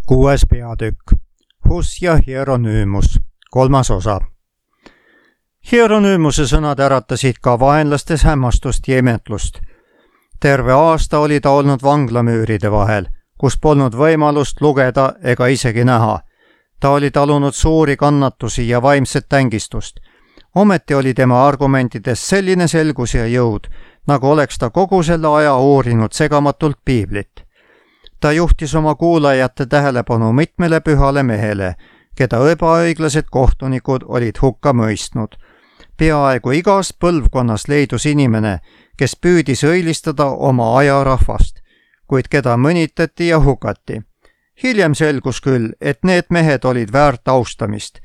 6. peatükk. Huss ja Hieronüümus. 3. osa. Hieronüümuse sõnad äratasid ka vaenlastes hämmastust ja imetlust. Terve aasta oli ta olnud vanglamüüride vahel, kus polnud võimalust lugeda ega isegi näha. Ta oli talunud suuri kannatusi ja vaimset tängistust. Ometi oli tema argumentides selline selgus ja jõud, nagu oleks ta kogu selle aja uurinud segamatult piiblit. Ta juhtis oma kuulajate tähelepanu mitmele pühale mehele, keda ebaõiglased kohtunikud olid hukka mõistnud. Peaaegu igas põlvkonnas leidus inimene, kes püüdis õilistada oma aja rahvast, kuid keda mõnitati ja hukati. Hiljem selgus küll, et need mehed olid väärt austamist.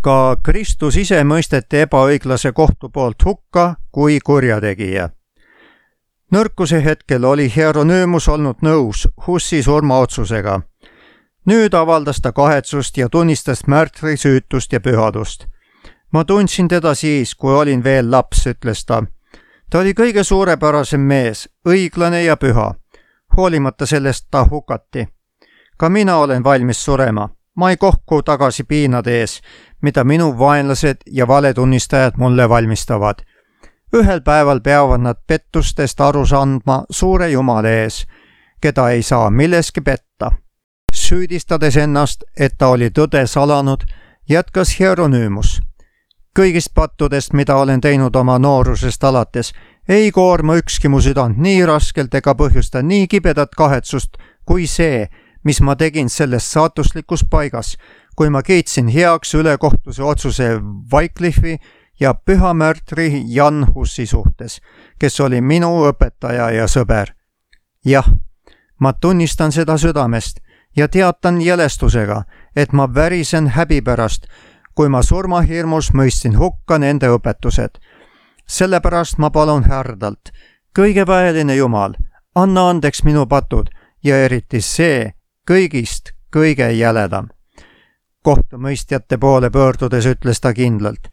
Ka Kristus ise mõisteti ebaõiglase kohtu poolt hukka kui kurjategija. Nõrkuse hetkel oli Hieronüümus olnud nõus Hussi surmaotsusega. Nüüd avaldas ta kahetsust ja tunnistas märtri süütust ja pühadust. Ma tundsin teda siis, kui olin veel laps, ütles ta. Ta oli kõige suurepärasem mees, õiglane ja püha. Hoolimata sellest ta hukati. Ka mina olen valmis surema. Ma ei kohku tagasi piinade ees, mida minu vaenlased ja valetunnistajad mulle valmistavad. Ühel päeval peavad nad pettustest aru andma suure Jumala ees, keda ei saa milleski petta. Süüdistades ennast, et ta oli tõde salanud, jätkas Hieronüümus. Kõigist pattudest, mida olen teinud oma noorusest alates, ei koorma ükski mu südant nii raskelt ega põhjusta nii kibedat kahetsust kui see, mis ma tegin selles saatuslikus paigas, kui ma kiitsin heaks ülekohtuse otsuse Wycliffi ja püha märtri Jan Hussi suhtes, kes oli minu õpetaja ja sõber. Jah, ma tunnistan seda südamest ja teatan jälestusega, et ma värisen häbi pärast, kui ma surmahirmus mõistsin hukka nende õpetused. Sellepärast ma palun härdalt, kõigeväeline Jumal, anna andeks minu patud ja eriti see kõigist kõige jäledam. Kohtumõistjate poole pöördudes ütles ta kindlalt.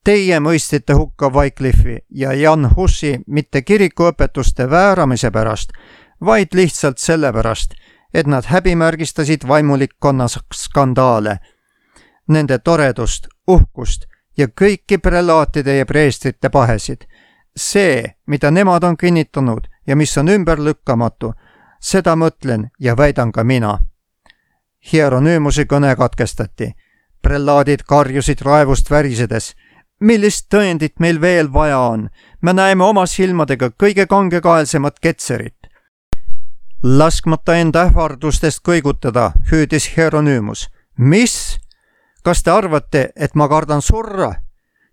Teie mõistite hukka Wycliffi ja Jan Hussi mitte kirikuõpetuste vääramise pärast, vaid lihtsalt sellepärast, et nad häbimärgistasid vaimulikkonna skandaale, nende toredust, uhkust ja kõiki prelaatide ja preestrite pahesid. See, mida nemad on kinnitanud ja mis on ümberlükkamatu, seda mõtlen ja väidan ka mina. Hieronüümuse kõne katkestati. Prelaadid karjusid raevust värisedes. Millist tõendit meil veel vaja on? Me näeme oma silmadega kõige kangekaelsemat ketserit. Laskmata enda ähvardustest kõigutada, hüüdis Hieronüümus. Mis? Kas te arvate, et ma kardan surra?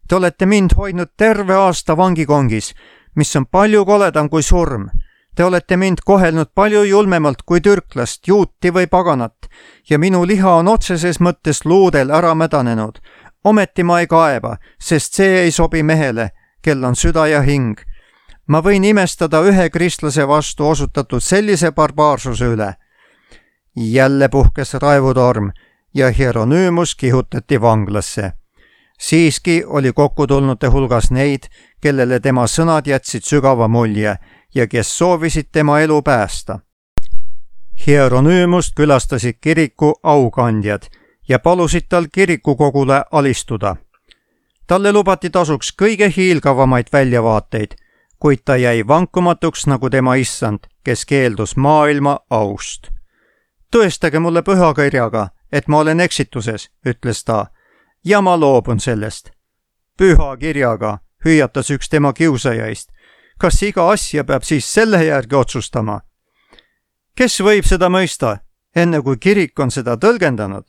Te olete mind hoidnud terve aasta vangikongis, mis on palju koledam kui surm. Te olete mind kohelnud palju julmemalt kui türklast, juuti või paganat ja minu liha on otseses mõttes luudel ära mädanenud. Ometi ma ei kaeba, sest see ei sobi mehele, kel on süda ja hing. Ma võin imestada ühe kristlase vastu osutatud sellise barbaarsuse üle. Jälle puhkes raevutorm ja Hieronüümus kihutati vanglasse. Siiski oli kokkutulnute hulgas neid, kellele tema sõnad jätsid sügava mulje ja kes soovisid tema elu päästa. Hieronüümust külastasid kiriku aukandjad ja palusid tal kirikukogule alistuda. Talle lubati tasuks kõige hiilgavamaid väljavaateid, kuid ta jäi vankumatuks nagu tema issand, kes keeldus maailma aust. Tõestage mulle pühakirjaga, et ma olen eksituses, ütles ta, ja ma loobun sellest. Pühakirjaga, hüüatas üks tema kiusajaist. Kas iga asja peab siis selle järgi otsustama? Kes võib seda mõista, enne kui kirik on seda tõlgendanud?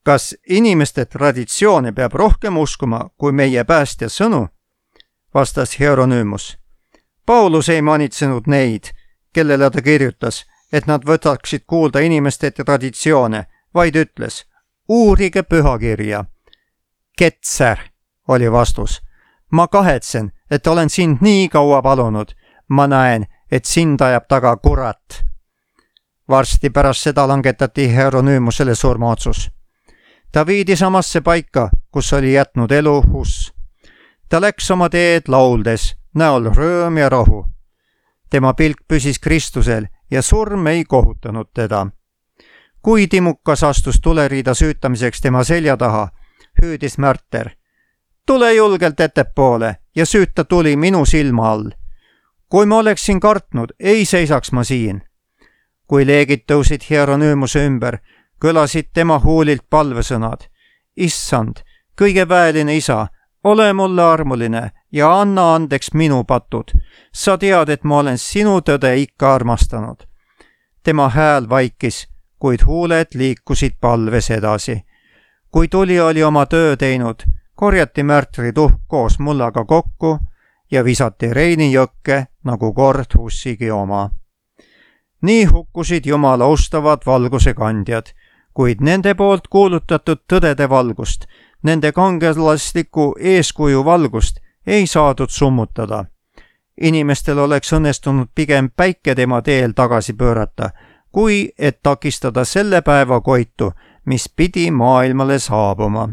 Kas inimeste traditsioone peab rohkem uskuma kui meie päästja sõnu? Vastas Hieronüümus. Paulus ei manitsenud neid, kellele ta kirjutas, et nad võtaksid kuulda inimeste traditsioone, vaid ütles, uurige pühakirja. Ketser, oli vastus. Ma kahetsen, et olen sind nii kaua palunud. Ma näen, et sind ajab taga kurat. Varsti pärast seda langetati Hieronüümusele surmaotsus. Ta viidi samasse paika, kus oli jätnud elu Huss. Ta läks oma teed lauldes, näol rõõm ja rahu. Tema pilk püsis Kristusel ja surm ei kohutanud teda. Kui timukas astus tuleriida süütamiseks tema selja taha, hüüdis Märter. Tule julgelt ettepoole ja süüta tuli minu silma all. Kui ma oleksin kartnud, ei seisaks ma siin. Kui leegid tõusid Hieronymuse ümber, kõlasid tema huulilt palvesõnad. Issand, kõige väeline isa, ole mulle armuline ja anna andeks minu patud. Sa tead, et ma olen sinu tõde ikka armastanud. Tema hääl vaikis, kuid huuled liikusid palves edasi. Kui tuli oli oma töö teinud, korjati Märtri tuhk koos mullaga kokku ja visati Reini jõkke nagu kord Hussigi oma. Nii hukkusid Jumala austavad valguse kandjad, kuid nende poolt kuulutatud tõdede valgust, nende kangelasliku eeskuju valgust ei saadud summutada. Inimestel oleks õnnestunud pigem päike tema teel tagasi pöörata, kui et takistada selle päeva koitu, mis pidi maailmale saabuma.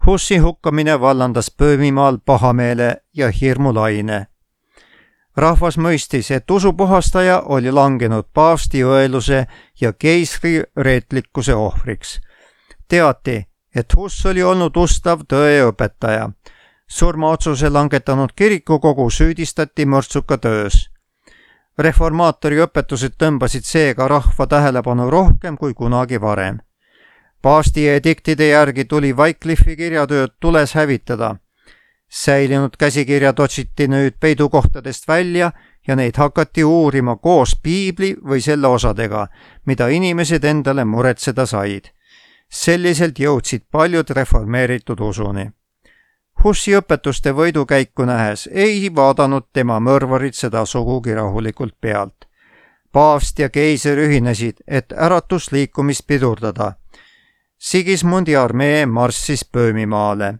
Hussi hukkamine vallandas Böömimaal pahameele ja hirmulaine. Rahvas mõistis, et usupuhastaja oli langenud paavsti õeluse ja keisri reetlikkuse ohvriks. Teati, et Huss oli olnud ustav tõeõpetaja. Surmaotsuse langetanud kirikukogu süüdistati mõrtsuka töös. Reformaatori õpetused tõmbasid seega rahva tähelepanu rohkem kui kunagi varem. Paavsti ediktide järgi tuli Wycliffi kirjatööd tules hävitada. Säilinud käsikirjad otsiti nüüd peidukohtadest välja ja neid hakati uurima koos piibli või selle osadega, mida inimesed endale muretseda said. Selliselt jõudsid paljud reformeeritud usuni. Hussi õpetuste võidukäiku nähes ei vaadanud tema mõrvarid seda sugugi rahulikult pealt. Paavst ja keiser ühinesid, et äratusliikumist pidurdada. Sigismundi armee marssis Böömimaale.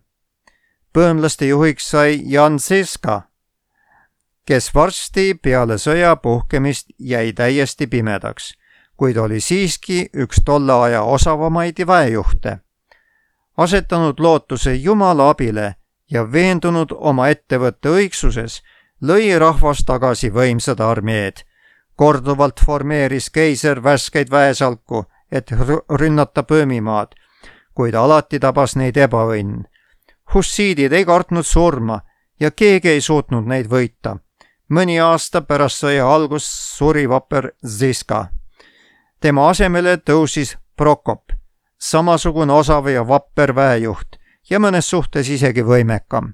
Böömlaste juhiks sai Jan Žižka, kes varsti peale sõja puhkemist jäi täiesti pimedaks, kuid oli siiski üks tolle aja osavamaid väejuhte. Asetanud lootuse Jumala abile ja veendunud oma ettevõtte õigsuses, lõi rahvas tagasi võimsad armeed. Korduvalt formeeris keiser värskeid väesalku, et rünnata Böömimaad, kuid alati tabas neid ebaõnn. Hussiidid ei kartnud surma ja keegi ei suutnud neid võita. Mõni aasta pärast sõja algust suri vapper Žižka. Tema asemele tõusis Prokop, samasugune osav ja vapper väejuht ja mõnes suhtes isegi võimekam.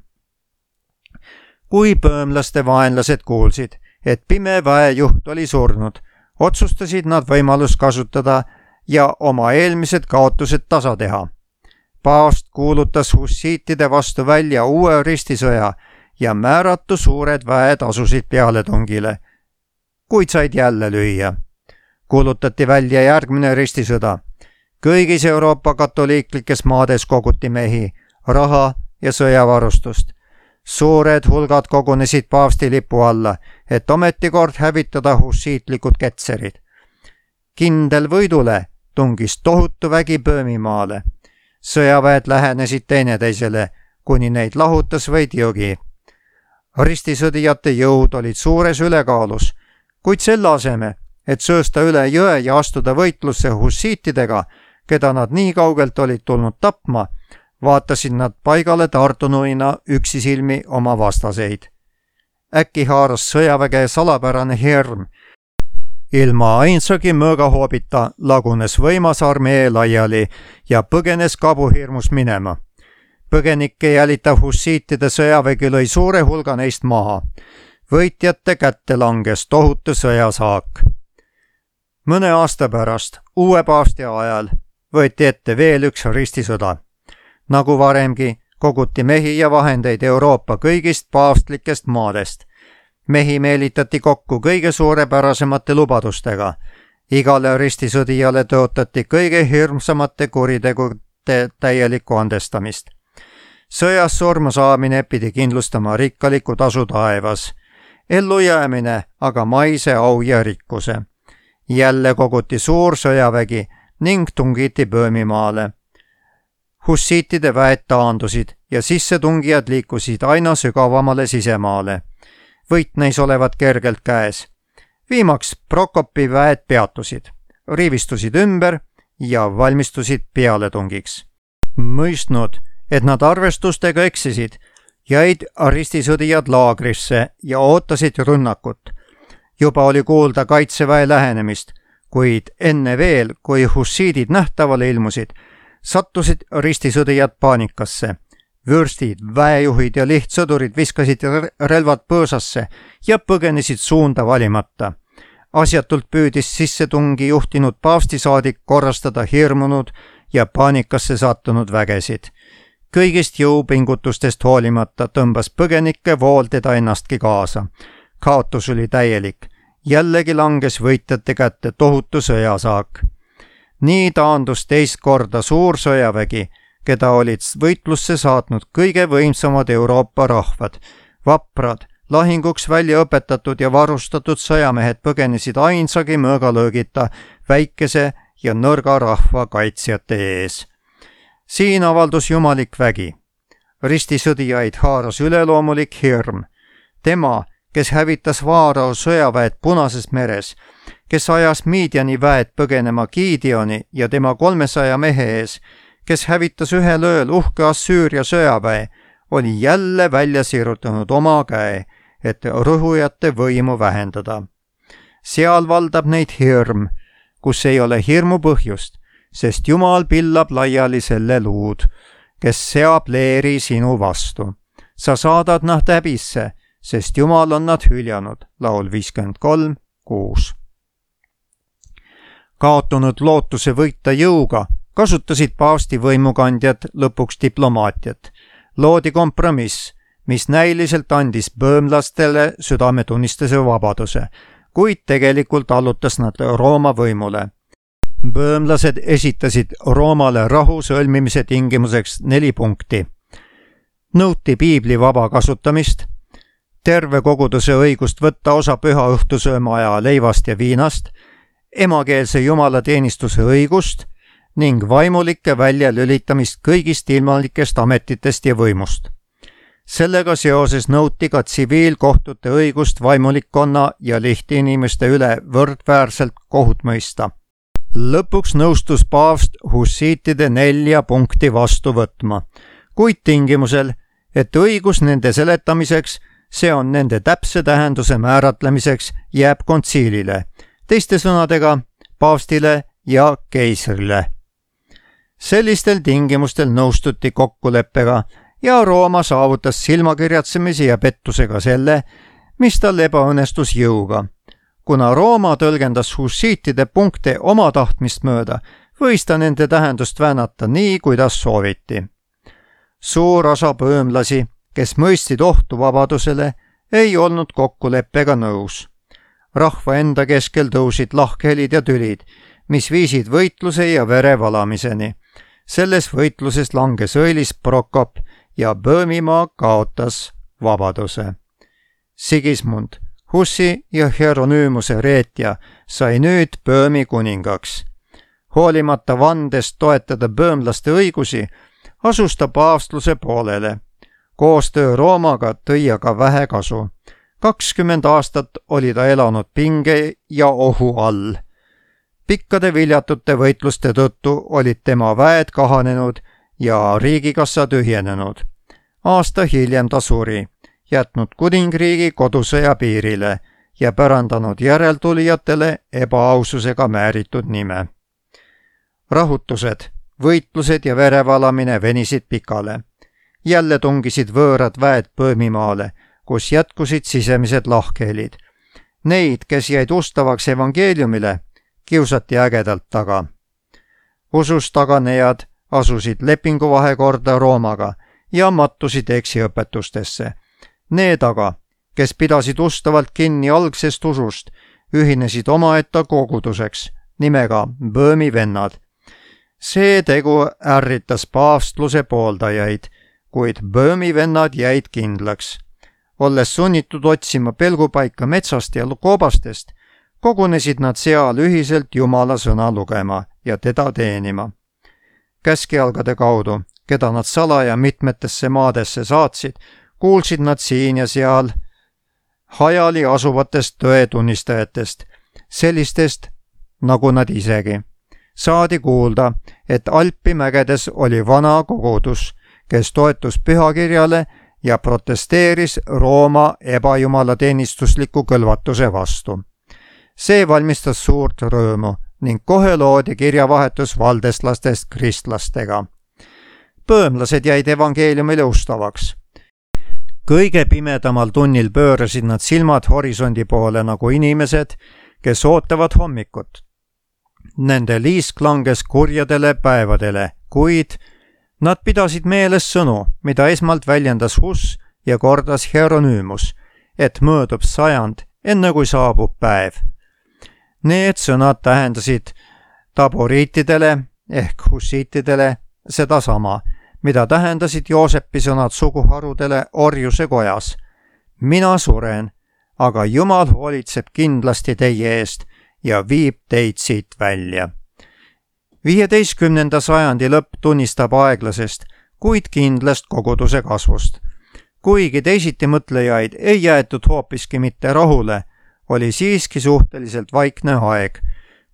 Kui böömlaste vaenlased kuulsid, et pime väejuht oli surnud, otsustasid nad võimalust kasutada ja oma eelmised kaotused tasa teha. Paavst kuulutas hussiitide vastu välja uue ristisõja ja määratu suured väed asusid pealetungile, kuid said jälle lüüa. Kuulutati välja järgmine ristisõda. Kõigis Euroopa katoliiklikes maades koguti mehi, raha ja sõjavarustust. Suured hulgad kogunesid paavsti lipu alla, et ometikord hävitada hussiitlikud ketserid. Kindel võidule tungis tohutu vägi Böömimaale. Sõjaväed lähenesid teineteisele, kuni neid lahutas vaid jõgi. Ristisõdijate jõud olid suures ülekaalus, kuid selle aseme, et söösta üle jõe ja astuda võitlusse hussiitidega, keda nad nii kaugelt olid tulnud tapma, vaatasid nad paigale tartunuina üksisilmi oma vastaseid. Äkki haaras sõjaväge salapärane hirm. Ilma ainsagi mõõgahoobita lagunes võimas armee laiali ja põgenes kabuhirmus minema. Põgenikke jälitav hussiitide sõjavägi lõi suure hulga neist maha. Võitjate kätte langes tohutu sõjasaak. Mõne aasta pärast, uue paavsti ajal, võeti ette veel üks ristisõda. Nagu varemgi, koguti mehi ja vahendeid Euroopa kõigist paavstlikest maadest. Mehi meelitati kokku kõige suurepärasemate lubadustega. Igale ristisõdijale tõotati kõige hirmsamate kuritegude täielikku andestamist. Sõjas surma saamine pidi kindlustama rikkaliku tasu taevas. Ellujäämine aga maise au ja rikkuse. Jälle koguti suur sõjavägi ning tungiti Böömimaale. Hussiitide väed taandusid ja sissetungijad liikusid aina sügavamale sisemaale. Võit neis olevat kergelt käes. Viimaks Prokopi väed peatusid. riivistusid ümber ja valmistusid pealetungiks. Mõistnud, et nad arvestustega eksisid, jäid ristisõdijad laagrisse ja ootasid rünnakut. Juba oli kuulda kaitseväe lähenemist, kuid enne veel, kui hussiidid nähtavale ilmusid, sattusid ristisõdijad paanikasse. Vürstid, väejuhid ja lihtsõdurid viskasid relvad põõsasse ja põgenesid suunda valimata. Asjatult püüdis sissetungi juhtinud paavstisaadik korrastada hirmunud ja paanikasse sattunud vägesid. Kõigist jõupingutustest hoolimata tõmbas põgenike vool teda ennastki kaasa. Kaotus oli täielik. Jällegi langes võitjate kätte tohutu sõjasaak. Nii taandus teist korda suur sõjavägi, keda olid võitlusse saatnud kõige võimsamad Euroopa rahvad. Vaprad, lahinguks välja õpetatud ja varustatud sõjamehed põgenesid ainsagi mõõgalöögita väikese ja nõrga rahva kaitsjate ees. Siin avaldus jumalik vägi. Ristisõdijaid haaras üleloomulik hirm. Tema, kes hävitas Vaarao sõjaväed Punases meres, kes ajas Midiani väed põgenema Gideoni ja tema 300 mehe ees, kes hävitas ühel ööl uhke Assüüria sõjaväe, oli jälle välja sirutanud oma käe, et rõhujate võimu vähendada. Seal valdab neid hirm, kus ei ole hirmu põhjust, sest Jumal pillab laiali selle luud, kes seab leeri sinu vastu. Sa saadad nad häbisse, sest Jumal on nad hüljanud. Laul 53:6. Kaotunud lootuse võita jõuga kasutasid paavsti võimukandjad lõpuks diplomaatiat. Loodi kompromiss, mis näiliselt andis böömlastele südametunnistuse vabaduse, kuid tegelikult allutas nad Rooma võimule. Böömlased esitasid Roomale rahu sõlmimise tingimuseks 4 punkti. Nõuti piibli vaba kasutamist, terve koguduse õigust võtta osa püha õhtusööma aja leivast ja viinast, emakeelse jumalateenistuse õigust ning vaimulike väljalülitamist kõigist ilmalikest ametitest ja võimust. Sellega seoses nõuti ka tsiviilkohtute õigust vaimulikkonna ja lihtinimeste üle võrdväärselt kohut mõista. Lõpuks nõustus paavst hussiitide 4 punkti vastu võtma, kuid tingimusel, et õigus nende seletamiseks, see on nende täpse tähenduse määratlemiseks, jääb kontsiilile, teiste sõnadega paavstile ja keisrile. Sellistel tingimustel nõustuti kokkuleppega ja Rooma saavutas silmakirjatsemise ja pettusega selle, mis tal ebaõnnestus jõuga. Kuna Rooma tõlgendas hussiitide punkte oma tahtmist mööda, võis ta nende tähendust väänata nii, kuidas sooviti. Suur osa böömlasi, kes mõistsid ohtu vabadusele, ei olnud kokkuleppega nõus. Rahva enda keskel tõusid lahkhelid ja tülid, mis viisid võitluse ja vere valamiseni. Selles võitluses langes õilis Prokop ja Böömimaa kaotas vabaduse. Sigismund, Hussi ja Hieronymuse reetja, sai nüüd Böömi kuningaks. Hoolimata vandest toetada böömlaste õigusi, asus ta paavstluse poolele. Koostöö Roomaga tõi aga vähe kasu. 20 aastat oli ta elanud pinge ja ohu all. Pikkade viljatute võitluste tõttu olid tema väed kahanenud ja riigikassa tühjenenud. Aasta hiljem ta suri, jätnud kuningriigi kodusõja piirile ja pärandanud järeltulijatele ebaaususega määritud nime. Rahutused, võitlused ja verevalamine venisid pikale. Jälle tungisid võõrad väed Böömimaale, kus jätkusid sisemised lahkhelid. Neid, kes jäid ustavaks evangeeliumile, kiusati ägedalt taga. Usust taganejad asusid lepinguvahekorda Roomaga ja mattusid eksiõpetustesse. Need aga, kes pidasid ustavalt kinni algsest usust, ühinesid omaette koguduseks nimega Böömi vennad. See tegu ärritas paavstluse pooldajaid, kuid Böömi vennad jäid kindlaks. Olles sunnitud otsima pelgupaika metsast ja koobastest, kogunesid nad seal ühiselt Jumala sõna lugema ja teda teenima. Käskjalgade kaudu, keda nad salaja mitmetesse maadesse saatsid, kuulsid nad siin ja seal hajali asuvatest tõetunnistajatest, sellistest, nagu nad isegi. Saadi kuulda, et Alpi mägedes oli vana kogudus, kes toetus pühakirjale ja protesteeris Rooma ebajumalateenistusliku kõlvatuse vastu. See valmistas suurt rõõmu ning kohe loodi kirjavahetus valdeslastest kristlastega. Põõmlased jäid evangeeliumile ustavaks. Kõige pimedamal tunnil pöörasid nad silmad horisondi poole nagu inimesed, kes ootavad hommikut. Nende liisk langes kurjadele päevadele, kuid nad pidasid meeles sõnu, mida esmalt väljendas Hus ja kordas Hieronüümus, et möödub sajand, enne kui saabub päev. Need sõnad tähendasid taboriitidele ehk hussiitidele sedasama, mida tähendasid Joosepi sõnad suguharudele orjuse kojas. Mina suren, aga Jumal hoolitseb kindlasti teie eest ja viib teid siit välja. 15. sajandi lõpp tunnistab aeglasest, kuid kindlast koguduse kasvust. Kuigi teisiti mõtlejaid ei jäetud hoopiski mitte rahule, oli siiski suhteliselt vaikne aeg.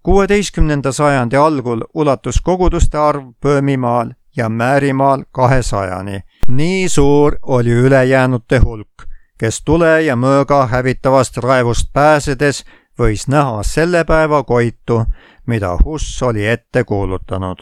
16. sajandi algul ulatus koguduste arv Böömimaal ja Määrimaal 200-ni. Nii suur oli ülejäänute hulk, kes tule ja mõõga hävitavast raevust pääsedes võis näha selle päeva koitu, mida Hus oli ette kuulutanud.